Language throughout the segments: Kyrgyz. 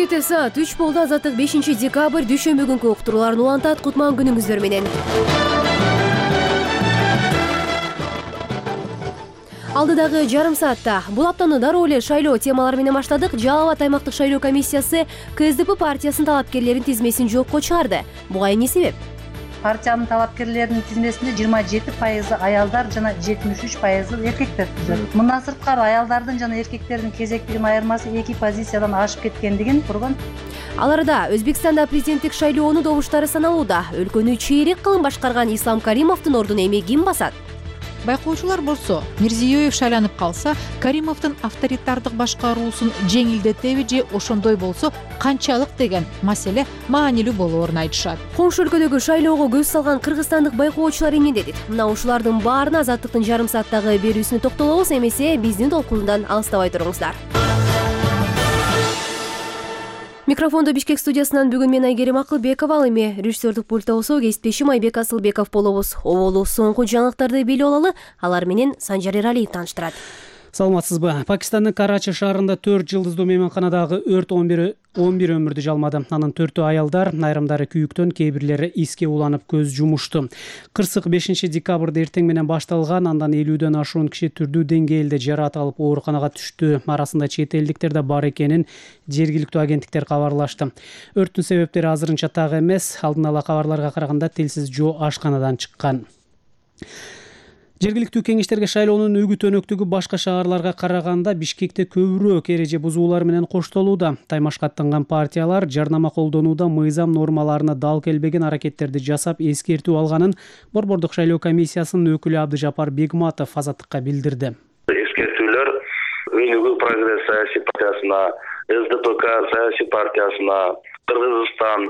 Кечке саат 3 болду. Азаттык 5 декабрь дүйшөмбү күнкү уктурууларын улантат. Кутман күнүңүздөр менен. Алдыдагы жарым саатта бул аптаны дароо эле шайлоо темалары менен баштадык. Жалал Абад аймактык шайлоо комиссиясы КСДП партиясынын талапкерлеринин тизмесин жокко чыгарды. Буга эмне себеп? Партиянын талапкерлеринин тизмесинде 27% аялдар жана 73% эркектер түзөт. Мындан сырткары аялдардын жана эркектердин кезектигинин айырмасы 2 позициядан ашып кеткендигин турган. Ал арада Өзбекстанда президенттик шайлоонун добуштары саналууда. Өлкөнү чейрек кылым башкарган Ислам Каримовдун ордуна эми ким басат? Байкоочулар болсо, Мирзиёев шайланып калса, Каримовдун авторитардык башкаруусун жеңилдетеби же ошондой болсо канчалык деген маселе маанилүү болоорун айтышат. Коңшу өлкөдөгү шайлоого көз салган кыргызстандык байкоочулар эмне дедит? Мына ушулардын баарына Азаттыктын жарым сааттагы берүүсүнө токтолобуз. Эмесе биздин толкунундан алыстабай туруңуздар. Микрофондо Бишкек студиясынан бүгүн мен Айгерим Акылбекова, ал эми режиссердик пультта болсо кесиптешим Айбек Асылбеков болобуз. Оболу соңку жаңылыктарды билип алалы, алар менен Санжар Эралиев тааныштырат. Саламатсызбы? Пакистандын Карачи шаарында 4 жылдыздуу мейманканадагы өрт 11 өмүрдү жалмады. Анын 4-ü аялдар, айрымдары күйүктөн, кээ бирлери иске уланып көз жумушту. Кырсык 5 декабрда эртең менен башталган, андан 50дөн ашуун киши түрдүү деңгээлде жараат алып ооруканага түштү. Арасында чет элдиктер да бар экенин жергиликтүү агенттиктер кабарлашты. Өрттүн себептери азырынча так эмес. Алдын ала кабарларга караганда телсиз жоо ашканадан чыккан. Жергиликтүү кеңештерге шайлоонун үгүт өнөктүгү башка шаарларга караганда Бишкекте көбүрөөк эреже бузуулар менен коштолууда. Таймашка аттанган партиялар жарнама колдонууда мыйзам нормаларына дал келбеген аракеттерди жасап эскертүү алганын Борбордук шайлоо комиссиясынын өкүлү Абдыжапар Бегматов Азаттыкка билдирди. Эскертүүлөр Өнүгүү прогресс саясий партиясына, СДПК саясий партиясына, Кыргызстан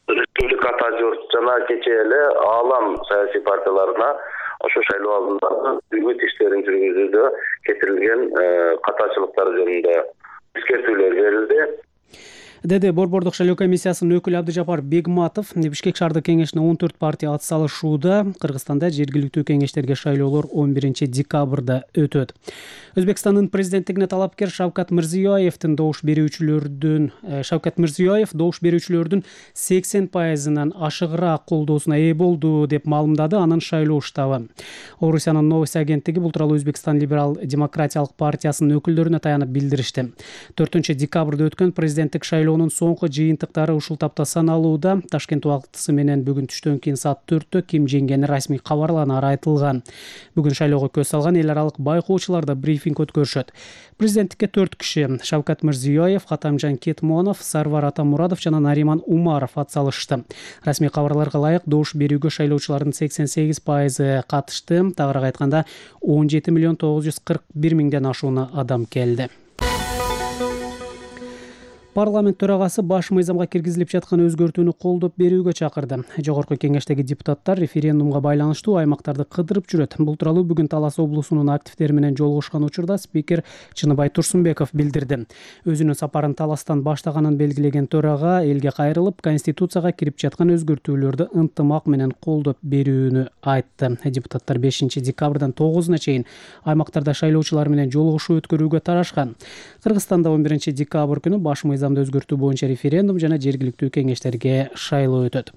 Республика Тажор жана кечээ эле Аалам саясий партияларына ошо шайлоо алдындагы үгүт иштерин жүргүзүүдө кетирилген катачылыктар жөнүндө эскертүүлөр берилди, деди Борбордук шайлоо комиссиясынын өкүлү Абдыжапар Бегматов. Бишкек шаардык кеңешине 14 партия ат салышууда. Кыргызстанда жергиликтүү кеңештерге шайлоолор 11 декабрда өтөт. Өзбекстандын президенттигине талапкер Шавкат Мирзиёев добуш берүүчүлөрдүн 80%-нан ашыгыраак колдоосуна ээ болду деп маалымдады анын шайлоо штабы. Орусиянын Новости агенттиги бул тууралуу Өзбекстан либерал-демократиялык партиясынын өкүлдөрүнө таянып билдиришти. 4 декабрда өткөн президенттик шайлоонун соңку жыйынтыктары ушул тапта саналууда. Ташкент убактысы менен бүгүн түштөн кийин саат 4-тө ким жеңгени расмий кабарланары айтылган. Бүгүн шайлоого көз салган эл аралык байкоочулар да брифинг өткөрүшөт. Президенттикке 4 киши Шавкат Мирзиёев, Катамжан Кетмонов, Сарвар Атамурадов жана Нариман Умаров ат салышты. Расмий кабарларга ылайык добуш берүүгө шайлоочулардын 88% катышты. Тагыраак айтканда 17.941.000ден ашуун адам келди. Парламент төрагасы баш мыйзамга киргизилип жаткан өзгөртүүнү колдоп берүүгө чакырды. Жогорку кеңештеги депутаттар референдумга байланыштуу аймактарды кыдырып жүрөт. Бул тууралуу бүгүн Талас облусунун активдери менен жолугушкан учурда спикер Чыныбай Турсунбеков билдирди. Өзүнүн сапарын Таластан баштаганын белгилеген төрага элге кайрылып, конституцияга кирип жаткан өзгөртүүлөрдү ынтымак менен колдоп берүүнү айтты. Депутаттар 5 декабрдан 9-уна чейин аймактарда шайлоочулар менен жолугушуу өткөрүүгө тарашкан. Кыргызстанда 11 декабрь күнү баш мыйзамды өзгөртүү боюнча референдум жана жергиликтүү кеңештерге шайлоо өтөт.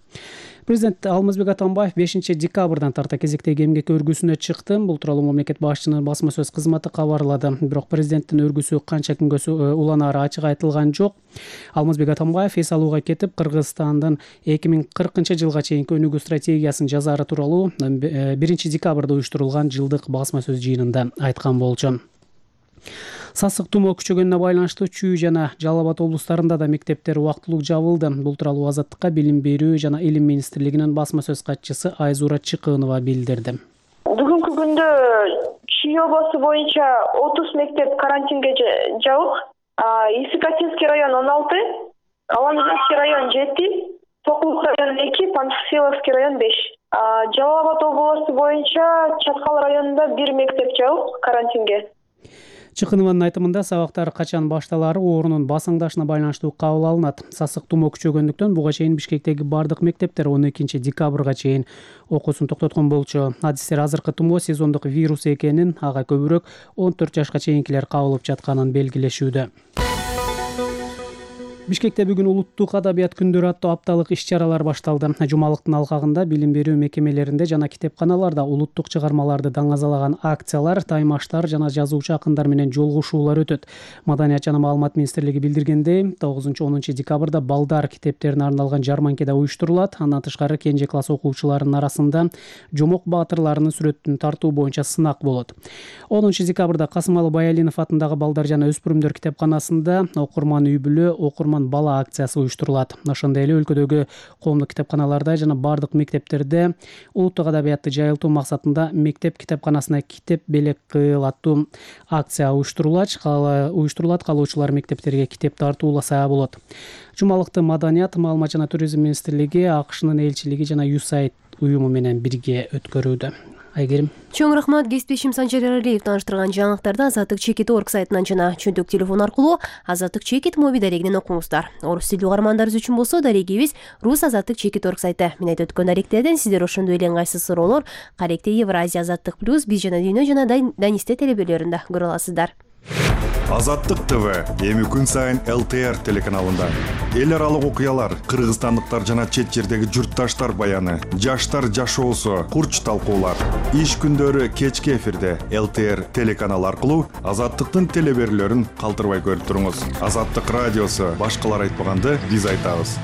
Президент Алмазбек Атамбаев 5 декабрдан тарта кезектеги эмгек өргүсүнө чыкты. Бул тууралуу мамлекет башчысынын басма сөз кызматы кабарлады. Бирок президенттин өргүсү канча күнгө уланаары ачык айтылган жок. Алмазбек Атамбаев эс алууга кетип, Кыргызстандын 2040 жылга чейинки өнүгүү стратегиясын жазаары тууралуу 1 декабрда уюштурулган жылдык басма сөз жыйынында айткан болчу. Сасык тумоо күчөгөнүнө байланыштуу Чүй жана Жалал Абад облустарында да мектептер убактылуу жабылды. Бул тууралуу Азаттыкка Билим берүү жана Илим министрлигинин басма сөз катчысы Айзура Чыкынова билдирди. Бүгүнкү күндө Чүй областы боюнча 30 мектеп карантинге жабык. Исыкатинский район 16, Аламжанский район 7, Сокулук район 2, Панфиловский район 5. Жалал Абад областы боюнча Чаткал районунда 1 мектеп жабык карантинге. Чыкынованын айтымында сабактар качан башталары оорунун басаңдашына байланыштуу кабыл алынат. Сасык тумоо күчөгөндүктөн буга чейин Бишкектеги бардык мектептер 12 декабрга чейин окуусун токтоткон болчу. Адистер азыркы тумоо сезондук вирус экенин, ага көбүрөөк 14 жашка чейинкилер кабылып жатканын белгилешүүдө. Бишкекте бүгүн улуттук адабият күндөрү аттуу апталык иш-чаралар башталды. Жумалыктын алкагында билим берүү мекемелеринде жана китепканаларда улуттук чыгармаларды даңазалаган акциялар, таймаштар жана жазуучу акындар менен жолугушуулар өтөт. Маданият жана маалымат министрлиги билдиргендей, 9-10 декабрда балдар китептерине арналган жарманке да уюштурулат. Андан тышкары кенже класс окуучуларынын арасында Жомок баатырларынын сүрөтүн тартуу боюнча сынак болот. 10 декабрда Касымалы Баялинов атындагы балдар жана өспүрүмдөр китепканасында окурман үй бүлө, окурман бала акциясы уюштурулат. Ошондой эле өлкөдөгү коомдук китепканаларда жана бардык мектептерде улуттук адабиятты жайылтуу максатында мектеп китепканасына китеп белек кыл аттуу акция уюштурулат. Каалоочулар мектептерге китеп тартууласа болот. Жумалыкты Маданият, маалымат жана туризм министрлиги, АКШнын элчилиги жана USAID уюму менен бирге өткөрүүдө. Айгерим. Чоң рахмат. Кесиптешим Санжар Аралиев тааныштырган жаңылыктарды Азаттык Чекит орг сайтынан жана чөнтөк телефон аркылуу Азаттык Чекит моби дарегинен окуңуздар. Орус тилдүү угармандарыбыз үчүн болсо дарегибиз Рус Азаттык Чекит орг сайты. Мен айтып өткөн даректерден сиздер ошондой эле ыңгайсыз суроолор Каректе Евразия Азаттык плюс биз жана дүйнө жана Данисте телебелеринде көрө аласыздар. Азаттык ТВ эми күн сайын ЛТР телеканалында. Эл аралык окуялар, кыргызстандыктар жана чет жердеги журтташтар баяны, жаштар жашоосу, курч талкуулар. Иш күндөрү кечки эфирде ЛТР телеканалы аркылуу Азаттыктын телеберлөрүн калтырбай көрүп туруңуз. Азаттык радиосу башкалар айтпаганды биз айтабыз.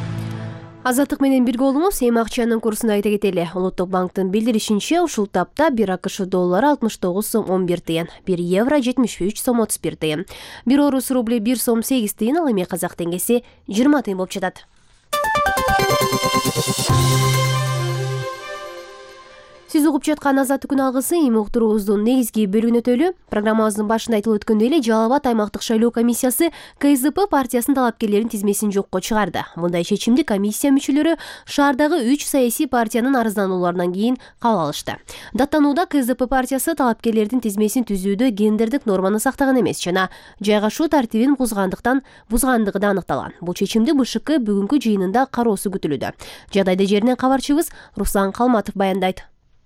Азаттык менен бирге болуңуз. Эми акчанын курсун айта кетели. Улуттук банктын билдиришинче, ушул тапта 1 АКШ доллары 69 сом 11 тыйын, 1 евро 73 сом 31 тыйын, 1 орус рубли 1 сом 8 тыйын, ал эми казак теңгеси 20 тыйын болуп жатат. Сиз угуп жаткан Азаттык күн алгысы эми уктуруубуздун негизги бөлүгүнө өтөлү. Программабыздын башында айтылып өткөндөй эле Жалал Абад аймактык шайлоо комиссиясы КСДП партиясынын талапкерлеринин тизмесин жокко чыгарды. Мындай чечимди комиссия мүчөлөрү шаардагы 3 саясий партиянын арызданууларынан кийин кабыл алышты. Даттанууда КСДП партиясы талапкерлердин тизмесин түзүүдө гендердик норманы сактаган эмес жана жайгашуу тартибин бузгандыгы да аныкталган. Бул чечимди БШК бүгүнкү жыйынында кароосу күтүлүүдө. Жагдайды жеринен кабарчыбыз Руслан Калматов баяндайт.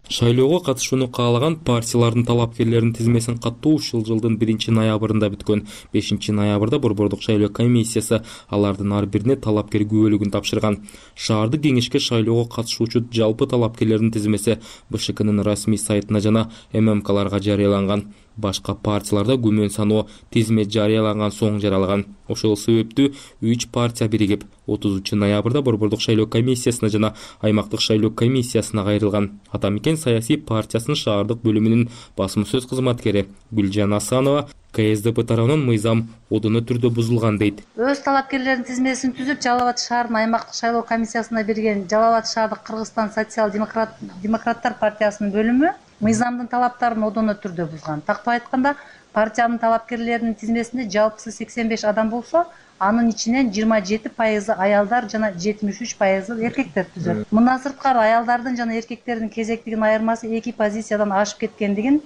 Шайлоого катышууну каалаган партиялардын талапкерлеринин тизмесин каттоо ушул жылдын 1-ноябрында бүткөн. 5-ноябрда Борбордук шайлоо комиссиясы алардын ар бирине талапкер күбөлүгүн тапшырган. Шаардык кеңешке шайлоого катышуучу жалпы талапкерлердин тизмеси БШКнын расмий сайтына жана ММКларга жарыяланган. Башка партияларда күмөн саноо тизмет жарыяланган соң жаралган. Ошол себептүү 3 партия биригип 30-ноябрда Борбордук шайлоо комиссиясына жана аймактык шайлоо комиссиясына кайрылган. Атамекен саясий партиясынын шаардык бөлүмүнүн басма сөз кызматкери Гүлжан Асанова КСДП тарабынан мыйзам одоно түрдө бузулган дейт. Өз талапкерлердин тизмесин түзүп, Жалал Абад шаарынын аймактык шайлоо комиссиясына берген Жалал Абад шаардык Кыргызстан социал-демократтар партиясынын бөлүмү мыйзамдын талаптарын одоно түрдө бузган. Тактап айтканда, партиянын талапкерлеринин тизмесинде жалпысы 85 адам болсо, анын ичинен 27% аялдар жана 73% эркектер түзөт. Мындан сырткары аялдардын жана эркектердин кезектигин айырмасы 2 позициядан ашып кеткендигин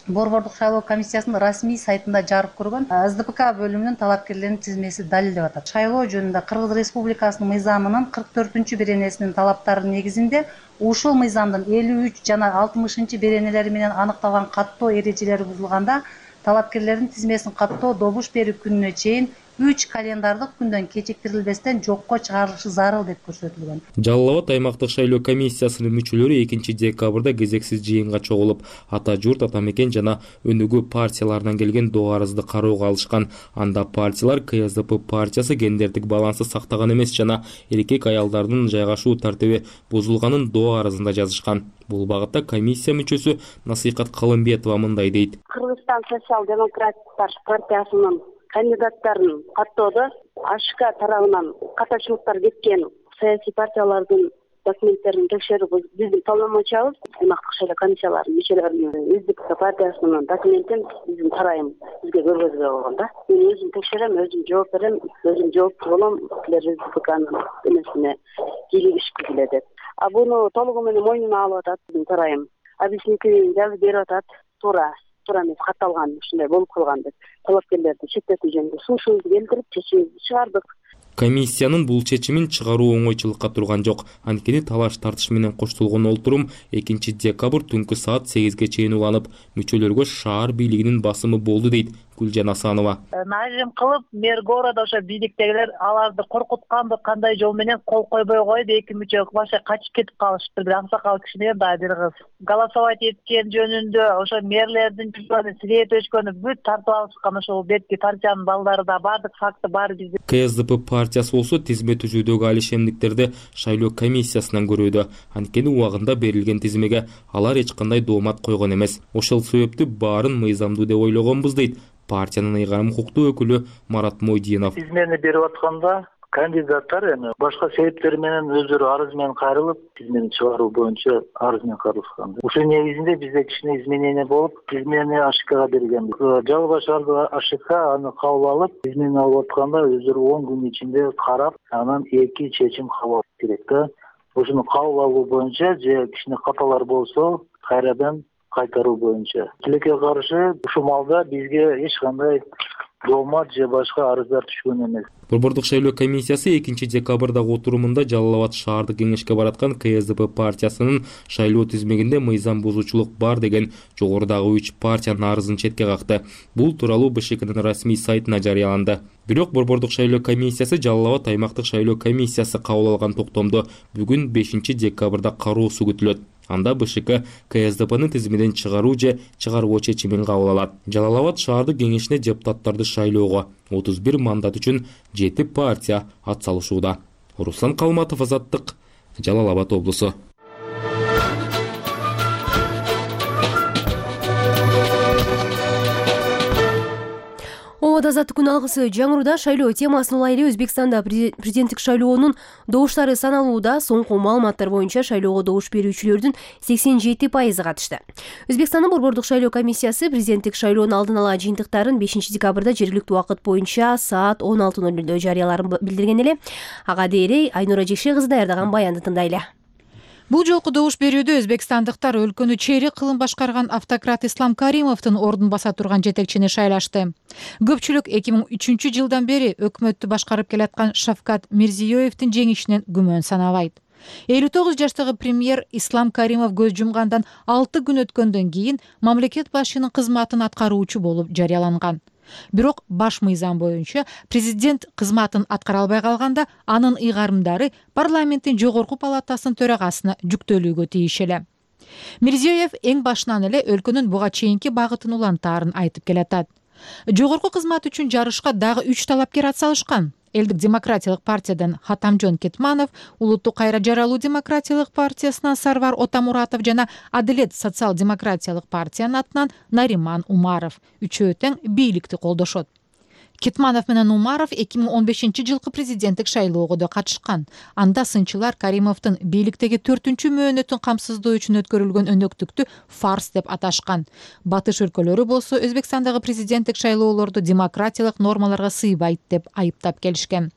Борбордук шайлоо комиссиясынын расмий сайтында жарык көргөн СДПК бөлүмүнүн талапкерлеринин тизмеси далилдеп атат. Шайлоо жөнүндө Кыргыз Республикасынын мыйзамынын 44 беренесинин талаптарынын негизинде ушул мыйзамдын 53 жана 60 беренелери менен аныкталган каттоо эрежелери бузулганда талапкерлердин тизмесин каттоо добуш берүү күнүнө чейин 3 календардык күндөн кечиктирилбестен жокко чыгарылышы зарыл деп көрсөтүлгөн. Жалал Абад аймактык шайлоо комиссиясынын мүчөлөрү 2-декабрда кезексиз жыйынга чогулуп, ата журт, атамекен жана өнүгүү партияларынан келген доо арызды кароого алышкан. Анда партиялар КСДП партиясы гендердик балансты сактаган эмес жана эркек аялдардын жайгашуу тартиби бузулганын доо арызында жазышкан. Бул багытта комиссия мүчөсү Насыйкат Калымбетова мындай дейт. Кыргызстан социал-демократтар партиясынын кандидаттарын каттоодо АШК тарабынан катачылыктар кеткен саясий партиялардын документтерин текшерүү биздин полномочиябыз. Аймактык шайлоо комиссияларынын мүчөлөрүнүн СДПК партиясынын документин биздин тарайым бизге көргөзгө болгон да. Мен өзүм текшерем, өзүм жооп берем, өзүм жооптуу болом, силер СДПКнын эмесине кийлигишкү келет деп. Буну толугу менен мойнуна алып атат биздин тарайым. Биздикин жазып берип атат, туура эмес катталган, ушундай болуп калган деп. Талапкерлерди четтетүү жөнүндө сунушубузду келтирип, чечимибизди чыгардык. Комиссиянын бул чечимин чыгаруу оңойчулукка турган жок. Анткени талаш тартыш менен коштолгон олтурум 2-декабрь түнкү саат 8ге чейин уланып, мүчөлөргө шаар бийлигинин басымы болду дейт Гүлжан Асанова. Нажим кылып мэр города ошо бийликтегилер аларды коркутканды кандай жол менен кол койбой коюп эки мүчө башка качып кетип калышыптыр. Бир аксакал кишинен дагы бир кыз голосовать эткен жөнүндө ошо мэрлердин жүзүнө свет өчкөнү бүт тартып алышкан. Ошол бетки партиянын балдары да бардык факты бар бизде. КСДП партиясы болсо тизме түзүүдөгү алишемдиктерди шайлоо комиссиясынан көрүүдө. Анткени убагында берилген тизмеге алар эч кандай доомат койгон эмес. Ошол себептүү баарын мыйзамдуу деп ойлогонбуз дейт партиянын ыйгарым укуктуу өкүлү Марат Мойдинов. Тизмени берип атканда кандидаттар эми башка себептер менен өздөрү арыз менен кайрылып, тизмени чыгаруу боюнча арыз менен кайрылышкан. Ушул негизинде бизде кичине изменение болуп, тизмени АШКга бергенбиз. Жалпы шаардык АШК аны кабыл алып, тизмени алып атканда өздөрү 10 күн ичинде карап, анан эки чечим кабыл алыш керек да. Ошону кабыл алуу боюнча же кичине каталар болсо, кайрадан кайтаруу боюнча. Тилекке каршы ушул малда бизге эч кандай доомат же башка арыздар түшкөн эмес. Борбордук шайлоо комиссиясы 2 декабрдагы отурумунда Жалал Абад шаардык кеңешке бараткан КСДП партиясынын шайлоо тизмегинде мыйзам бузуучулук бар деген жогорудагы 3 партиянын арызын четке какты. Бул тууралуу БШКнын расмий сайтына жарыяланды. Бирок Борбордук шайлоо комиссиясы Жалал Абад аймактык шайлоо комиссиясы кабыл алган токтомду бүгүн 5 декабрда кароосу күтүлөт. Анда БШК КСДПнын тизмеден чыгаруу же чыгарбоо чечимин кабыл алат. Жалал Абад шаардык кеңешине депутаттарды шайлоого 31 мандат үчүн 7 партия ат салышууда. Руслан Калматов, Азаттык, Жалал Абад облусу. Ооба Азаттык күн алгысы жаңыруда шайлоо темасын улай эле Өзбекстанда президенттик шайлоонун добуштары саналууда. Соңку маалыматтар боюнча шайлоого добуш берүүчүлөрдүн 87% катышты. Өзбекстандын борбордук шайлоо комиссиясы президенттик шайлоонун алдын ала жыйынтыктарын 5 декабрда жергиликтүү убакыт боюнча саат 16:00 жарыяларын билдирген эле. Ага дейре Айнура Жекше кызы даярдаган баянды тыңдайлы. Бул жолку добуш берүүдө өзбекстандыктар өлкөнү чейрек кылым башкарган автократ Ислам Каримовдун ордун баса турган жетекчини шайлашты. Көпчүлүк 2003 жылдан бери өкмөттү башкарып келаткан Шавкат Мирзиёевдин жеңишинен күмөн санабайт. 59 жаштагы премьер Ислам Каримов көз жумгандан 6 күн өткөндөн кийин мамлекет башчынын кызматын аткаруучу болуп жарыяланган. Бирок баш мыйзам боюнча президент кызматын аткара албай калганда анын ыйгарымдары парламенттин жогорку палатасынын төрагасына жүктөлүүгө тийиш эле. Мирзиёев эң башынан эле өлкөнүн буга чейинки багытын улантаарын айтып келатат. Жогорку кызмат үчүн жарышка дагы 3 талапкер атсалышкан. Элдик демократиялык партиядан Хатамжон Кетманов, Улуттук кайра жаралуу демократиялык партиясынан Сарвар Отамуратов жана Адилет социал-демократиялык партиянын атынан Нариман Умаров. Үчөө тең бийликти колдошот. Кетманов менен Умаров 2015 жылкы президенттик шайлоого да катышкан. Анда сынчылар Каримовдун бийликтеги 4-чү мөөнөтүн камсыздоо үчүн өткөрүлгөн өнөктүктү фарс деп аташкан. Батыш өлкөлөрү болсо Өзбекстандагы президенттик шайлоолорду демократиялык нормаларга сыйбайт деп айыптап келишкен.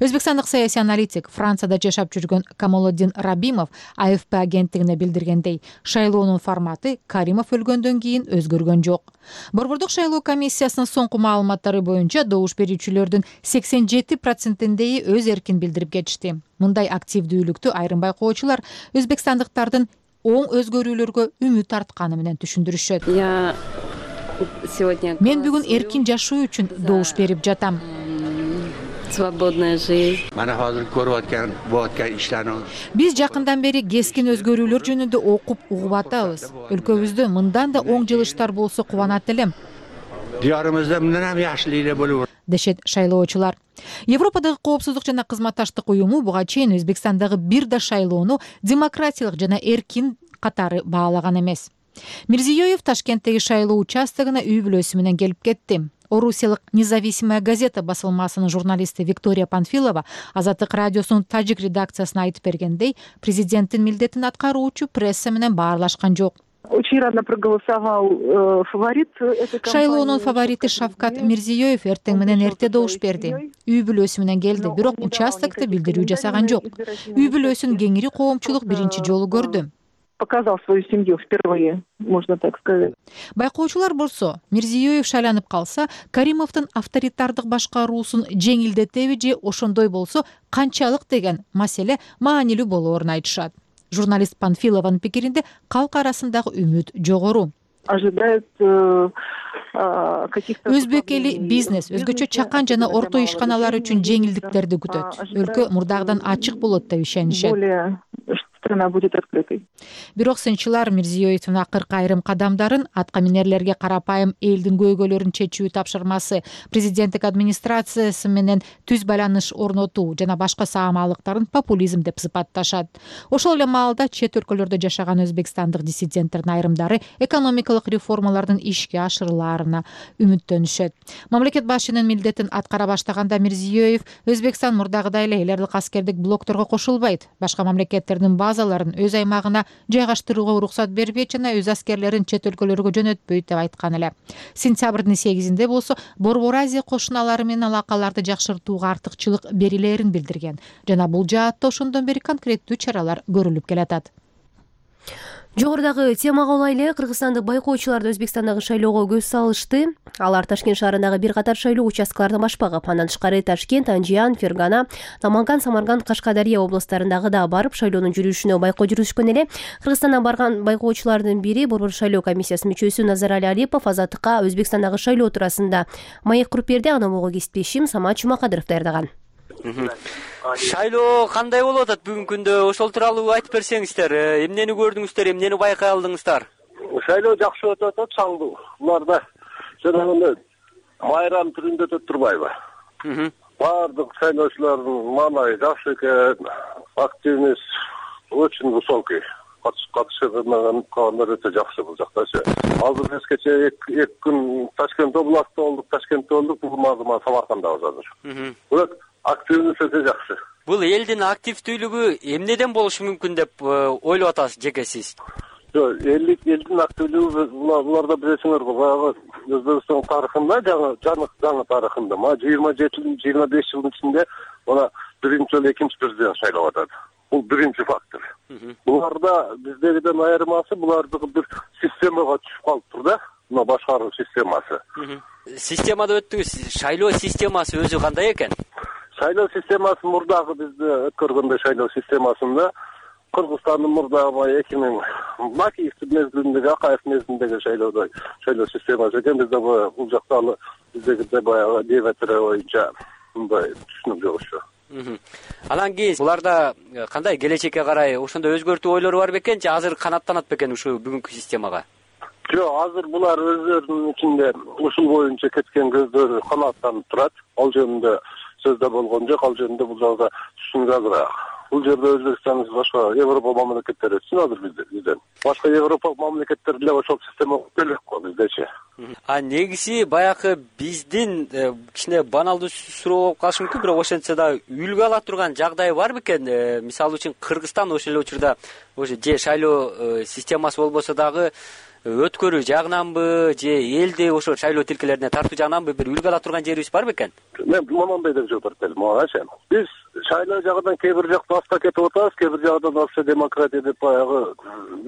Өзбекстандык саясий аналитик Францияда жашап жүргөн Камолоддин Рабимов АФП агенттигине билдиргендей, шайлоонун форматы Каримов өлгөндөн кийин өзгөргөн жок. Борбордук шайлоо комиссиясынын соңку маалыматтары боюнча добуш берүүчүлөрдүн 87%-и өз эркин билдирип кетишти. Мындай активдүүлүктү айрым байкоочулар өзбекстандыктардын оң өзгөрүүлөргө үмүт артканы менен түшүндүрүшөт. Мен бүгүн эркин жашоо үчүн добуш берип жатам. Свободная жизнь. Биз жакындан бери кескин өзгөрүүлөр жөнүндө окуп угуп атабыз. Өлкөбүздө мындан да оң жылыштар болсо кубанат элем. Дешет шайлоочулар. Европадагы коопсуздук жана кызматташтык уюму буга чейин Өзбекстандагы бир да шайлоону демократиялык жана эркин катары баалаган эмес. Мирзиёев Ташкенттеги шайлоо участогуна үй бүлөсү менен келип кетти. Орусиялык Независимая газета басылмасынын журналисти Виктория Панфилова Азаттык радиосунун тажик редакциясына айтып бергендей, президенттин милдетин аткаруучу пресса менен баарлашкан жок. Очень рано проголосовал фаворит. Шайлоонун фаворити Шавкат Мирзиёев эртең менен эрте добуш берди. Үй бүлөсү менен келди, бирок участокто билдирүү жасаган жок. Үй бүлөсүн кеңири коомчулук биринчи жолу көрдү. Показал свою семью впервые, можно так сказать. Байкоочулар болсо, Мирзиёев шайланып калса, Каримовдун авторитардык башкаруусун жеңилдетеби же ошондой болсо канчалык деген маселе маанилүү болоорун айтышат. Журналист Панфилованын пикиринде калк арасындагы үмүт жогору. Ожидает каких-то өзбек эли бизнес, өзгөчө чакан жана орто ишканалар үчүн жеңилдиктерди күтөт. Өлкө мурдагыдан ачык болот деп ишенишет. более страна будет открытой. Бирок сынчылар Мирзиёевдин акыркы айрым кадамдарын атка минерлерге карапайым элдин көйгөйлөрүн чечүү тапшырмасы, президенттик администрациясы менен түз байланыш орнотуу жана башка саамалыктарын популизм деп сыпатташат. Ошол эле маалда чет өлкөлөрдө жашаган өзбекстандык диссиденттердин айрымдары экономикалык реформалардын ишке ашырылаарына үмүттөнүшөт. Мамлекет башчынын милдетин аткара баштаганда Мирзиёев Өзбекстан мурдагыдай эле эл аралык аскердик блокторго кошулбайт, башка мамлекеттердин базаларын өз аймагына жайгаштырууга уруксат бербейт жана өз аскерлерин чет өлкөлөргө жөнөтпөйт деп айткан эле. Сентябрдын 8-inde болсо Борбор Азия кошуналары менен алакаларды жакшыртууга артыкчылык берилерин билдирген жана бул жаатта ошондон бери конкреттүү чаралар көрүлүп келатат. Жогорудагы темага улайлы кыргызстандык байкоочулар Өзбекстандагы шайлоого көз салышты. Алар Ташкент шаарындагы бир катар шайлоо участкаларын башпагып, андан тышкары Ташкент, Анжиян, Фергана, Наманган, Самарканд, Кашкадария областарындагы да барып шайлоонун жүрүшүнө байкоо жүрүшкөн эле. Кыргызстандан барган байкоочулардын бири Борбор шайлоо комиссиясынын мүчөсү Назарали Алипов Азаттыкка Өзбекстандагы шайлоо туурасында маек куруп берди. Аны могу кесиптешим Самат Жумакадыров даярдаган. Шайлоо кандай болуп атат бүгүнкү күндө? Ошол тууралуу айтып берсеңиздер. Эмнени көрдүңүздөр, эмнени байкай алдыңыздар? Шайлоо жакшы өтүп атат, чаңдуу. Буларда жанагы майрам түрүндө өтүп турбайбы? Бардык шайлоочулардын маанайы жакшы экен, активность очень высокий. Катышкандар өтө жакшы бул жактачы. Азыр кечээ 2 күн Ташкент областында болдук, Ташкентте болдук, бүгүн азыр Самаркандабыз азыр. Бирок активность өтө жакшы. Бул элдин активдүүлүгү эмнеден болушу мүмкүн деп ойлоп атасыз жеке сиз? Элдин активдүүлүгү буларда билесиңерби, баягы Өзбекстан тарыхында, жаңы тарыхында 27-25 жылдын ичинде мына биринчи жолу экинчи президент шайлап атат. Бул биринчи фактор. Буларда биздегиден айырмасы булардыкы бир системага түшүп калыптыр да, мына башкаруу системасы. Системада өттүңүз, шайлоо системасы өзү кандай экен? Шайлоо системасы мурдагы бизде өткөргөндө шайлоо системасында Кыргызстандын мурдагы 2000 Макиевдин мезгилиндеги, Акаев мезгилиндеги шайлоо системасы экен. Бизде бул жакта биздегидей баягы диаметр боюнча мындай түшүнүк жок ошо. Анан кийин буларда кандай келечекке карай ошондой өзгөртүү ойлору бар бекен же азыр канаттанат бекен ушу бүгүнкү системага? Жок, азыр булар өздөрүнүн ичинде ушул боюнча кеткен көздөрү канааттанып турат. Ал жөнүндө сөздө болгон жок, ал жөнүндө бул жагда түшүнүк азыраак. Бул жерде Өзбекстан башка Европа мамлекеттери үчүн азыр бизден. Башка Европа мамлекеттери деле ошол система келек го биздечи. Негизи баягы биздин кичине баналдуу суроо болуп калышы мүмкүн, бирок ошентсе да үлгү ала турган жагдай бар бекен? Мисалы үчүн Кыргызстан ошол эле учурда ошо же шайлоо системасы болбосо дагы өткөрүү жагынанбы же элди ошо шайлоо тилкелерине тартуу жагынанбы бир үлгү ала турган жерибиз бар бекен? Мен мондай деп жооп берет элем, ача. Биз шайлоо жагынан кээ бир жакта аста кетип атабыз, кээ бир жагдан вообще демократия деп баягы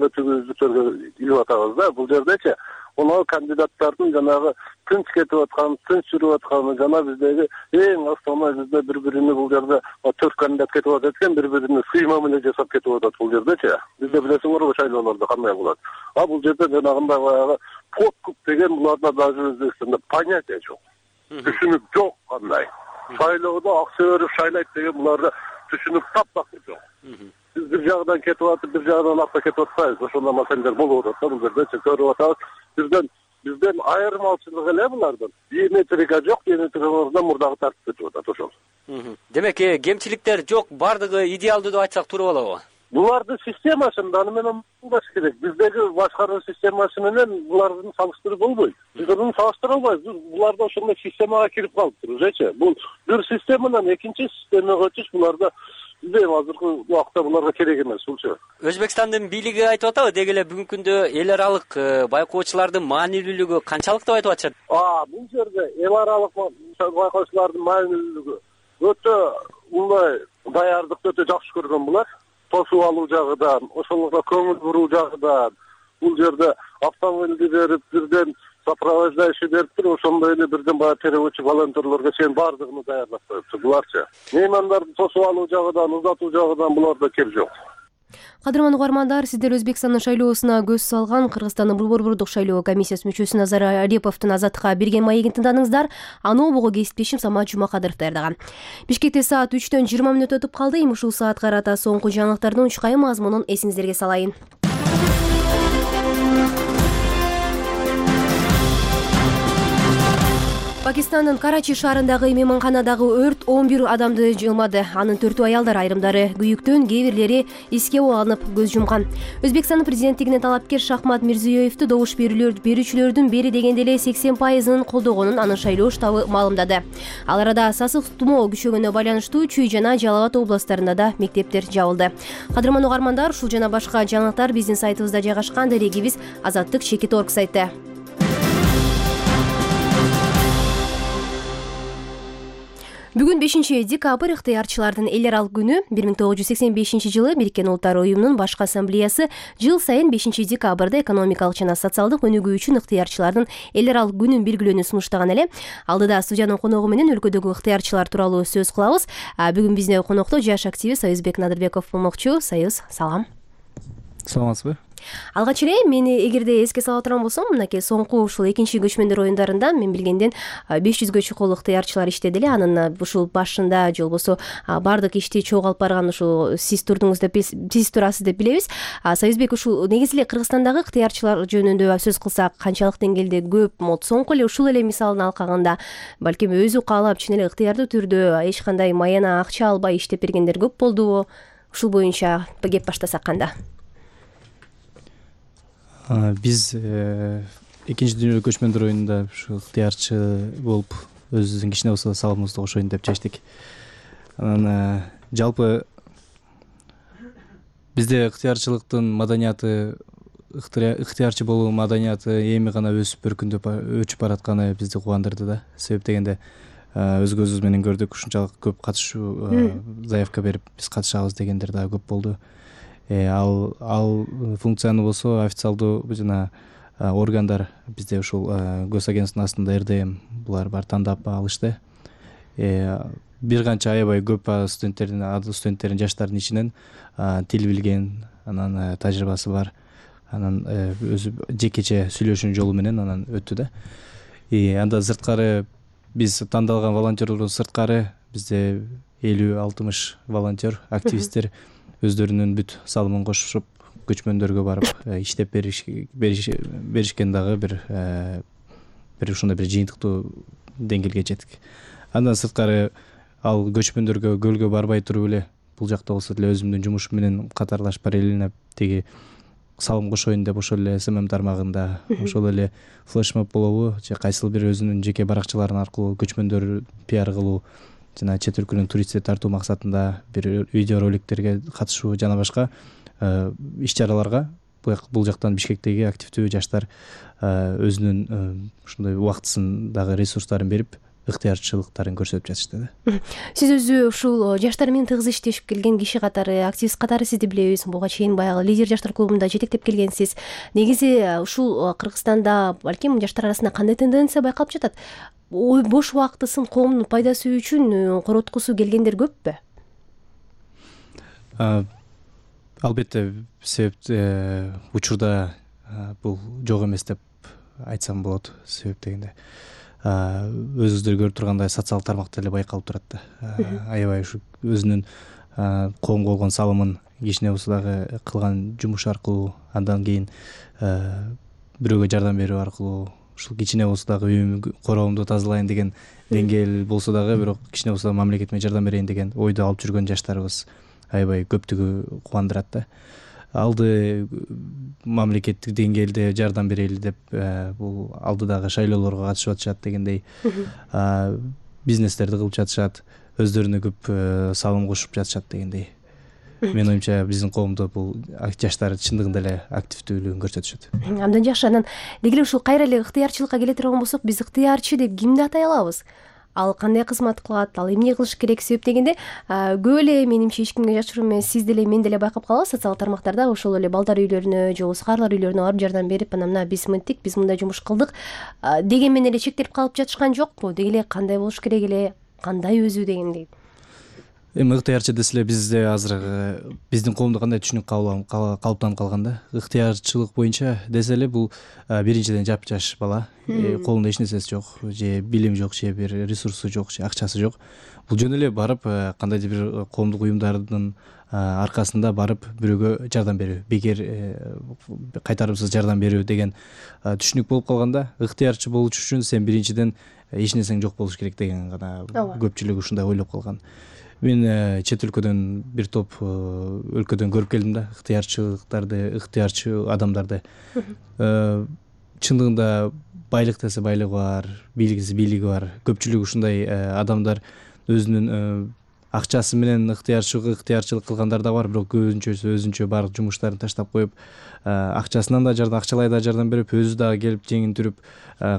өтүүбүздөргө илип атабыз да. Бул жердечи Оно кандидаттардын жанагы тынч кетип аткан, тынч жүрүп атканы жана биздеги эң основной бизде бири-бирине бул жерде 4 кандидат кетип атат экен, бири-бирине сыйма менен жасап кетип атат бул жердечи. Бизде билесиңерби шайлоолордо кандай болот. Бул жерде жанагындай баягы подкуп деген буларда даже Өзбекстанда понятие жок. Түшүнүк жок кандай. Шайлоодо акча берип шайлайт деген буларда түшүнүк таптакыр жок. Биз бир жагдан кетип атып, бир жагдан акча кетип атпайбыз. Ошондой маселелер болуп атат. Бул жерде көрүп атабыз. Бизден айырмачылыгы эле булардан. Биометрика жок, биометрикада мурдагы тартип кетип атат ошол. Демек, кемчиликтер жок, бардыгы идеалдуу деп айтсак туура болобу? Булардын системасында аны менен булбаш керек. Биздеги башкаруу системасы менен булардын салыштырып болбойт. Биз аны салыштыра албайбыз. Буларда ошондой системага кирип калыптыр уже. Бул бир системадан экинчи системага өтүш буларда азыркы убакта буларга керек эмес булчу. Өзбекстандын бийлиги айтып атабы, деги эле бүгүнкү күндө эл аралык байкоочулардын маанилүүлүгү канчалык деп айтып атышат? Бул жерде эл аралык байкоочулардын маанилүүлүгү өтө мындай даярдыкты өтө жакшы көргөн булар. Тосуп алуу жагыдан, ошолорго көңүл буруу жагыдан, бул жерде автомобилди берип, бирден сопровождающий берип туруп, ошондой эле бирден баягы переводчик волонтерлорго чейин бардыгын даярдап коюптур буларчы. Меймандарды тосуп алуу жагыдан, узатуу жагыдан буларда кеп жок. Кадырман угармандар, сиздер Өзбекстандын шайлоосуна көз салган Кыргызстандын Борбордук шайлоо комиссиясы мүчөсү Назар Алиповдун Азаттыкка берген маегин тыңдадыңыздар. Аны обого кесиптешим Самат Жумакадыров даярдаган. Бишкекте саат 3-төн 20 мүнөт өтүп калды. Эми ушул саатка карата соңку жаңылыктардын учкайы мазмунун эсиңиздерге салайын. Пакистандын Карачи шаарындагы мейманканадагы өрт 11 адамды жылмады. Анын 4 аялдар, айрымдары күйүктөн, кээ бирлери эске алынып көз жумган. Өзбекстандын президенттигине талапкер Шахмат Мирзиёевду добуш берүүчүлөрдүн бери дегенде эле 80% колдогонун анын шайлоо штабы маалымдады. Ал арада сасык тумоо күчөгөнүнө байланыштуу Чүй жана Жалал Абад областтарында да мектептер жабылды. Кадырман угармандар, ушул жана башка жаңылыктар биздин сайтыбызда жайгашкан. Дарегибиз Азаттык-Чекит.org сайты. Бүгүн 5-декабрь ыктыярчылардын эл аралык күнү. 1985-жылы Бириккен Улуттар уюмунун башкы ассамблеясы жыл сайын 5-декабрда экономикалык жана социалдык өнүгүү үчүн ыктыярчылардын эл аралык күнүн белгилөөнү сунуштаган эле. Алдыда студиянын коногу менен өлкөдөгү ыктыярчылар тууралуу сөз кылабыз. Бүгүн бизде конокто жаш активист Союзбек Надырбеков болмокчу. Союз, салам. Саламатсызбы? Алгач эле мени эгерде эске сала турган болсом, мынакей соңку ушул экинчи көчмөндөр оюндарында мен билгенден 500гө чукул ыктыярчылар иштеди эле. Анын ушул башында же болбосо баардык ишти чогуу алып барган ушул сиз турдуңуз деп сиз турасыз деп билебиз. Союзбек, ушул негизи эле Кыргызстандагы ыктыярчылар жөнүндө сөз кылсак, канчалык деңгээлде көп? Соңку эле ушул эле мисалын алганда, балким өзү каалап чын эле ыктыярдуу түрдө эч кандай маяна акча албай иштеп бергендер көп болдубу? Ушул боюнча кеп баштасак кандай? Биз экинчи дүйнөлүк көчмөндөр оюнунда ушу ыктыярчы болуп өзүбүздүн кичине болсо салымыбызды кошоюн деп чечтик. Анан жалпы бизде ыктыярчылыктын маданияты, ыктыярчы болуу маданияты эми гана өсүп өчүп баратканы бизди кубандырды да. Себеп дегенде өз көзүбүз менен көрдүк, ушунчалык көп катышуу заявка берип биз катышабыз дегендер да көп болду. Ал функцияны болсо официалдуу жана органдар бизде ушул госагентствонун астында РДМ булар бар тандап алышты. Бир канча аябай көп студенттердин жаштардын ичинен тил билген, анан тажрыйбасы бар, анан өзү жекече сүйлөшүүнүн жолу менен анан өттү да. Анда сырткары биз тандалган волонтерлордон сырткары бизде 50-60 волонтер, активисттер өздөрүнүн бүт салымын кошуп көчмөндөргө барып иштеп беришкен дагы бир ушундай бир жыйынтыктуу деңгээлге жеттик. Андан сырткары ал көчмөндөргө көлгө барбай туруп эле бул жакта болсо деле өзүмдүн жумушум менен катарлаш параллельно тиги салым кошоюн деп ошол эле СММ тармагында, ошол эле флешмоб болобу же кайсыл бир өзүнүн жеке баракчаларын аркылуу көчмөндөр пиар кылуу жана чет өлкөнүн туристти тартуу максатында бир видео роликтерге катышуу жана башка иш-чараларга бул жактан Бишкектеги активдүү жаштар өзүнүн ушундай убактысын дагы ресурстарын берип ыктыярчылыктарын көрсөтүп жатышты да. Сиз өзү ушул жаштар менен тыгыз иштешип келген киши катары, активист катары сизди билебиз. Буга чейин баягы лидер жаштар клубунда жетектеп келгенсиз. Негизи ушул Кыргызстанда балким жаштар арасында кандай тенденция байкалып жатат? Бош убактысын коомдун пайдасы үчүн короткусу келгендер көппү? Албетте, себеп учурда бул жок эмес деп айтсам болот. Себеп дегенде өзүңүздөр көрүп тургандай социалдык тармакта эле байкалып турат да. Аябай ушу өзүнүн коомго болгон салымын кичине болсо дагы кылган жумуш аркылуу, андан кийин бирөөгө жардам берүү аркылуу, ушул кичине болсо дагы үйүм короомду тазалайын деген деңгээл болсо дагы, бирок кичине болсо дагы мамлекетиме жардам берейин деген ойду алып жүргөн жаштарыбыз аябай көптүгү кубандырат да. Алды мамлекеттик деңгээлде жардам берели деп бул алдыдагы шайлоолорго катышып атышат дегендей бизнестерди кылып жатышат, өздөрүнө көп салым кошуп жатышат дегендей. Менин оюмча биздин коомдо бул жаштар чындыгында эле активдүүлүгүн көрсөтүшөт. Абдан жакшы. Анан деги эле ушул кайра эле ыктыярчылыкка келе турган болсок, биз ыктыярчы деп кимди атай алабыз? Ал кандай кызмат кылат, ал эмне кылыш керек? Себеп дегенде көп эле менимче эч кимге жашыруу эмес, сиз деле мен деле байкап калабыз социалдык тармактарда ошол эле балдар үйлөрүнө же болбосо карлар үйлөрүнө барып жардам берип, анан мына биз мынтик, биз мындай жумуш кылдык деген менен эле чектелип калып жатышкан жокпу? Деги эле кандай болуш керек эле, кандай өзү дегендей. Эми ыктыярчы десе эле бизде азыр биздин коомдо кандай түшүнүк калыптанып калган да. Ыктыярчылык боюнча десе эле бул биринчиден жапжаш бала, колунда эч нерсеси жок, же билим жок, же бир ресурсу жок, же акчасы жок. Бул жөн эле барып кандайдыр бир коомдук уюмдардын аркасында барып бирөөгө жардам берүү, бекер кайтарымсыз жардам берүү деген түшүнүк болуп калганда, ыктыярчы болуш үчүн сен биринчиден эч нерсең жок болуш керек деген гана көпчүлүк ушундай ойлоп калган. Мен чет өлкөдөн бир топ өлкөдөн көрүп келдим да, ыктыярчылыктарды, ыктыярчы адамдарды. Чындыгында байлык десе байлыгы бар, бийлик десе бийлиги бар. Көпчүлүк ушундай адамдар өзүнүн акчасы менен ыктыярчылык кылгандар да бар, бирок көбүнчөсү өзүнчө баардык жумуштарын таштап коюп, акчасынан да жардам, акчалай да жардам берип, өзү да келип жеңин түрүп,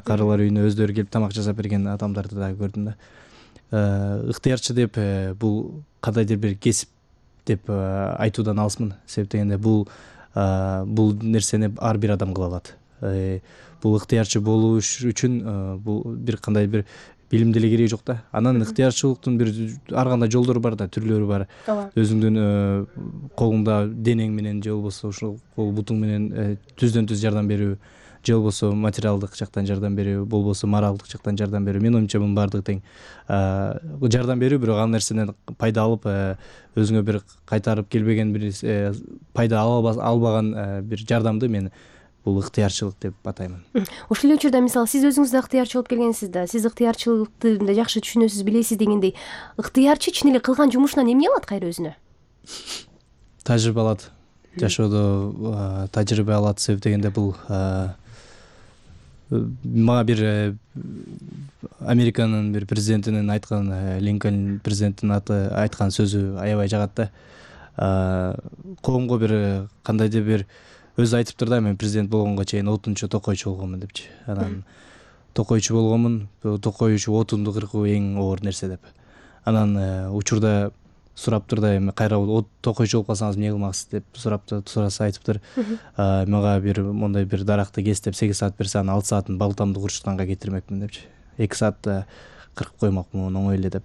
карылар үйүнө өздөрү келип тамак жасап берген адамдарды да көрдүм да. Ыктыярчы деп бул кандайдыр бир кесип деп айтуудан алысмын. Себеп дегенде бул нерсени ар бир адам кыла алат. Бул ыктыярчы болуу үчүн бул бир кандай бир билим деле кереги жок да. Анан ыктыярчылыктын бир ар кандай жолдору бар да, түрлөрү бар. Өзүңдүн колуңда денең менен же болбосо ушул кол бутуң менен түздөн түз жардам берүү, же болбосо материалдык жактан жардам берүү, болбосо моралдык жактан жардам берүү. Менин оюмча мунун баардыгы тең. Жардам берүү, бирок ал нерседен пайда алып, өзүңө бир кайтарып келбеген бир пайда албаган бир жардамды мен бул ыктыярчылык деп атаймын. Ошол эле учурда мисалы сиз өзүңүз да ыктыярчы болуп келгенсиз да, сиз ыктыярчылыкты жакшы түшүнөсүз, билесиз дегендей, ыктыярчы чын эле кылган жумушунан эмне алат кайра өзүнө? Тажрыйба алат. Жашоодо тажрыйба алат. Себеп дегенде бул мага бир Американын бир президентинин айткан, Линкольн президенттин айткан сөзү аябай жагат да. Коомго бир кандайдыр бир өзү айтыптыр да, мен президент болгонго чейин отунчу токойчу болгонмун депчи. Анан токойчу болгонмун, токойчу отунду кыркуу эң оор нерсе деп. Анан учурда сураптыр да, эми кайра токойчу болуп калсаңыз эмне кылмаксыз деп сураса айтыптыр. Мага бир мондай бир даракты кес деп 8 саат берсе, анан 6 саатын балтамды курчутканга кетирмекмин депчи. 2 саатта кыркып коймокмун оңой эле деп.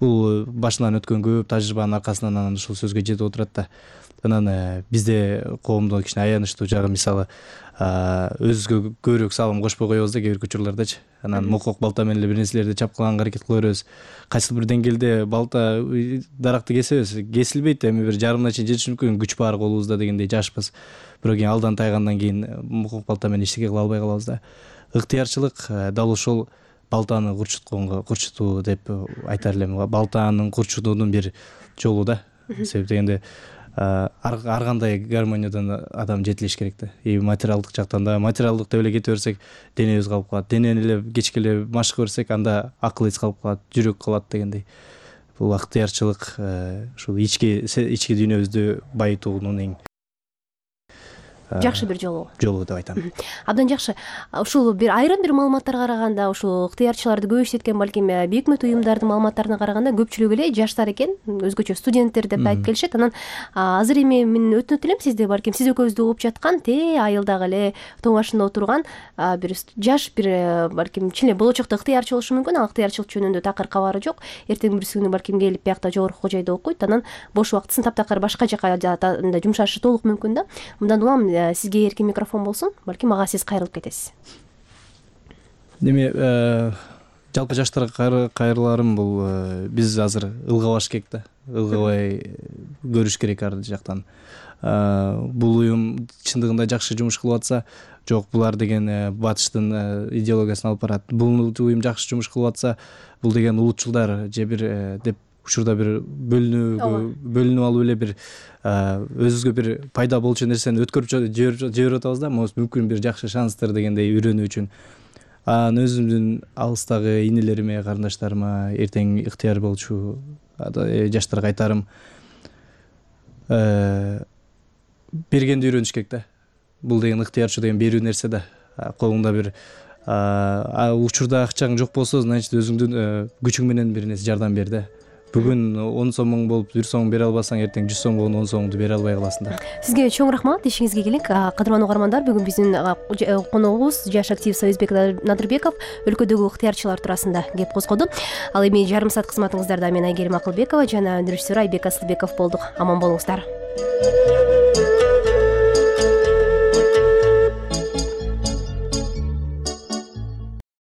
Бул башынан өткөн көп тажрыйбанын аркасынан анан ушул сөзгө жетип отурат да. Анан бизде коомдо кичине аянычтуу жагы, мисалы өзүбүзгө көбүрөөк салым кошпой коебуз да, кээ бир учурлардачы. Анан мокок балта менен эле бир нерселерди чапкылаганга аракет кыла беребиз. Кайсыл бир деңгээлде балта даракты кесебиз, кесилбейт, эми бир жарымына чейин жетиш мүмкүн, күч бар колубузда дегендей жашпыз. Бирок кийин алдан тайгандан кийин мокок балта менен эчтеке кыла албай калабыз да. Ыктыярчылык дал ошол балтаны курчутуу деп айтар элем. Балтанын курчутуунун бир жолу да. Себеп дегенде ар кандай гармониядан адам жетилиш керек да. Материалдык жактан да, материалдык деп эле кете берсек, денебиз калып калат. Денени эле кечке эле машык берсек, анда акыл эс калып калат, жүрөк калат дегендей. Бул ыктыярчылык ушул ички дүйнөбүздү байытуунун эң жакшы бир жолу деп айтам. Абдан жакшы. Ушул бир айрым бир маалыматтарга караганда, ушул ыктыярчыларды көп иштеткен балким бейөкмөт уюмдардын маалыматтарына караганда көпчүлүгү эле жаштар экен, өзгөчө студенттер деп айтып келишет. Анан азыр эми мен өтүнөт элем сизди, балким сиз экөөбүздү угуп жаткан айылдагы эле тоң башында отурган бир жаш бир балким чын эле болочокто ыктыярчы болушу мүмкүн. Ал ыктыярчылык жөнүндө такыр кабары жок. Эртең бирси күнү балким келип биякта жогорку кожойдо окуйт, анан бош убактысын таптакыр башка жака жумшашы толук мүмкүн да. Мындан улам сизге эркин микрофон болсун, балким ага сиз кайрылып кетесиз. Эми жалпы жаштарга кайрыларым бул биз азыр ылгабаш керек да. Ылгабай көрүш керек ар жактан. Бул уюм чындыгында жакшы жумуш кылып атса, жок булар деген батыштын идеологиясын алып барат. Бул уюм жакшы жумуш кылып атса, бул деген улутчулдар же бир деп учурда бир бөлүнүп алып эле бир өзүбүзгө бир пайда болчу нерсени өткөрүп жиберип атабыз да. Мүмкүн бир жакшы шанстыр дегендей үйрөнүү үчүн. Анан өзүмдүн алыстагы инелериме, карындаштарыма, эртең ыктыяр болчу жаштарга айтарым, бергенди үйрөнүш керек да. Бул деген ыктыярчы деген берүү нерсе да. Колуңда бир учурда акчаң жок болсо, значит өзүңдүн күчүң менен бир нерсе жардам бер да. бүгүн 10 сомуң болуп 1 сом бере албасаң эртең 100 сом болгондо 10 сомуңду бере албай каласың да. Сизге чоң рахмат, ишиңизге келик. Кадырман угармандар, бүгүн биздин коногубуз жаш актив Союзбек Надырбеков өлкөдөгү ыктыярчылар туурасында кеп козгоду. Ал эми жарым саат кызматыңыздарда мен Айгерим Акылбекова жана өндүрүшчүсү Айбек Асылбеков болдук. Аман болуңуздар.